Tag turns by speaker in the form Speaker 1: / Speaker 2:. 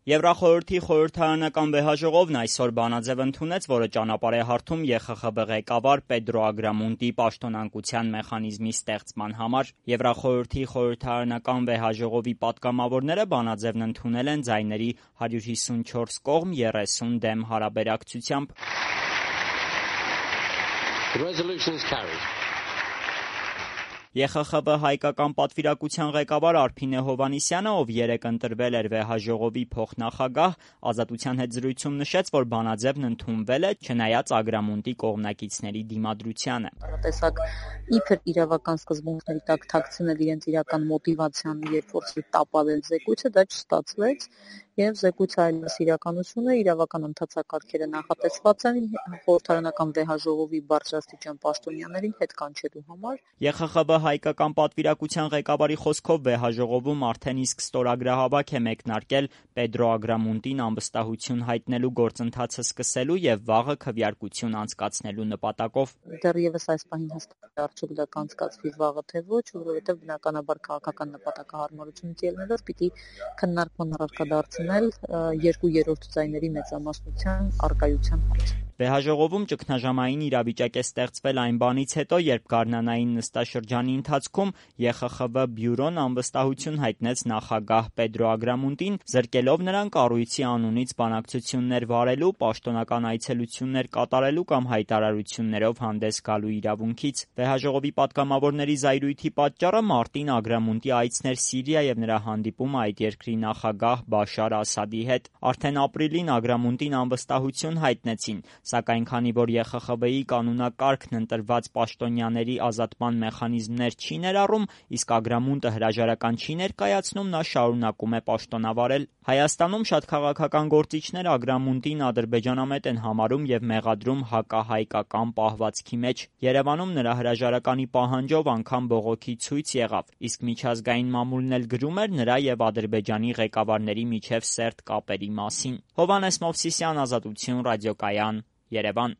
Speaker 1: Եվրախորհրդի խորհրդարանական վեհաժողովն այսօր բանաձև ընդունեց, որը ճանապարհ է հարթում ԵԽԽՎ ղեկավար Պեդրո Ագրամոնտի պաշտոնանկության մեխանիզմի ստեղծման համար։ Եվրախորհրդի խորհրդարանական վեհաժողովի պատգամավորները բանաձևն ընդունել են ձայների 154 կողմ 30 դեմ հարաբերակցությամբ։ ԵԽԽՎ հայկական պատվիրակության ղեկավար Արփինե Հովհաննիսյանը, ով երեկ ընտրվել էր վեհաժողովի փոխնախագահ, Ազատության հետ զրույցում նշեց, որ բանաձևն ընդունվել է, չնայած Ագրամոնտի կողմնակիցների դիմադրությանը։
Speaker 2: Տեսակ իբր իրավական սկզբունքների տակ թաքցնել իրենց իրական մոտիվացիան, երբ փորձել տապալել զեկույցը, դա չստացվեց, եւ զեկույցը այլևս իրականություն է, իրավական ընթացակարգերը նախատեսված են խորհրդարանական վեհաժողովի բարձրաստիճան պաշտոնյաներին հետ կանչելու համար։
Speaker 1: ԵԽԽՎ հայկական պատվիրակության ղեկավարի խոսքով վեհաժողովում արդեն իսկ ստորագրահավաք է մեկնարկել Պեդրո Ագրամոնտին անվստահություն հայտնելու գործընթացը սկսելու եւ վաղը քվեարկություն անցկացնելու նպատակով։
Speaker 2: Դեռևս այս պահին հստակ արդյոք դա կանցկացվի վաղը թե ոչ, որովհետեւ բնականաբար քաղաքական նպատակահարմարությունից ելնելով պիտի քննարկման առարկա դարձնել 2/3 ձայների մեծամասնության առկայության հարցը։
Speaker 1: Վեհաժողովում ճգնաժամային իրավիճակ է ստեղծվել այն բանից հետո, երբ գարնանային նստաշրջանի ընթացքում ԵԽԽՎ բյուրոն անվստահություն հայտնեց նախագահ Պեդրո Ագրամոնտին, զրկելով նրան կառույցի անունից բանակցություններ վարելու, պաշտոնական այցելություններ կատարելու կամ հայտարարություններով հանդես գալու իրավունքից։ Վեհաժողովի պատգամավորների զայրույթի պատճառը մարտին Ագրամոնտի այցն էր Սիրիա եւ նրա հանդիպումը այդ երկրի նախագահ Բաշար Ասադի հետ։ Արդեն ապրիլին Ագրամոնտին անվստահություն հայտնեցին, սակայն քանի որ ԵԽԽՎ-ի կանոնակարգն ընտրված պաշտոնյաների ազատման մեխանիզմներ չի ներառում, իսկ Ագրամոնտը հրաժարական չի ներկայացնում, նա շարունակում է պաշտոնավարել։ Հայաստանում շատ քաղաքական գործիչներ Ագրամոնտին ադրբեջանամետ են համարում եւ մեղադրում հակահայկական պահվածքի մեջ։ Երևանում նրա հրաժարականի պահանջով անգամ բողոքի ցույց եղավ, իսկ միջազգային մամուլն էլ գրում էր նրա եւ Ադրբեջանի ղեկավարների միջև սերտ կապերի մասին։ Հովհաննես Մովսիսյան, Ազատություն, ռադիոկայան, Երևան։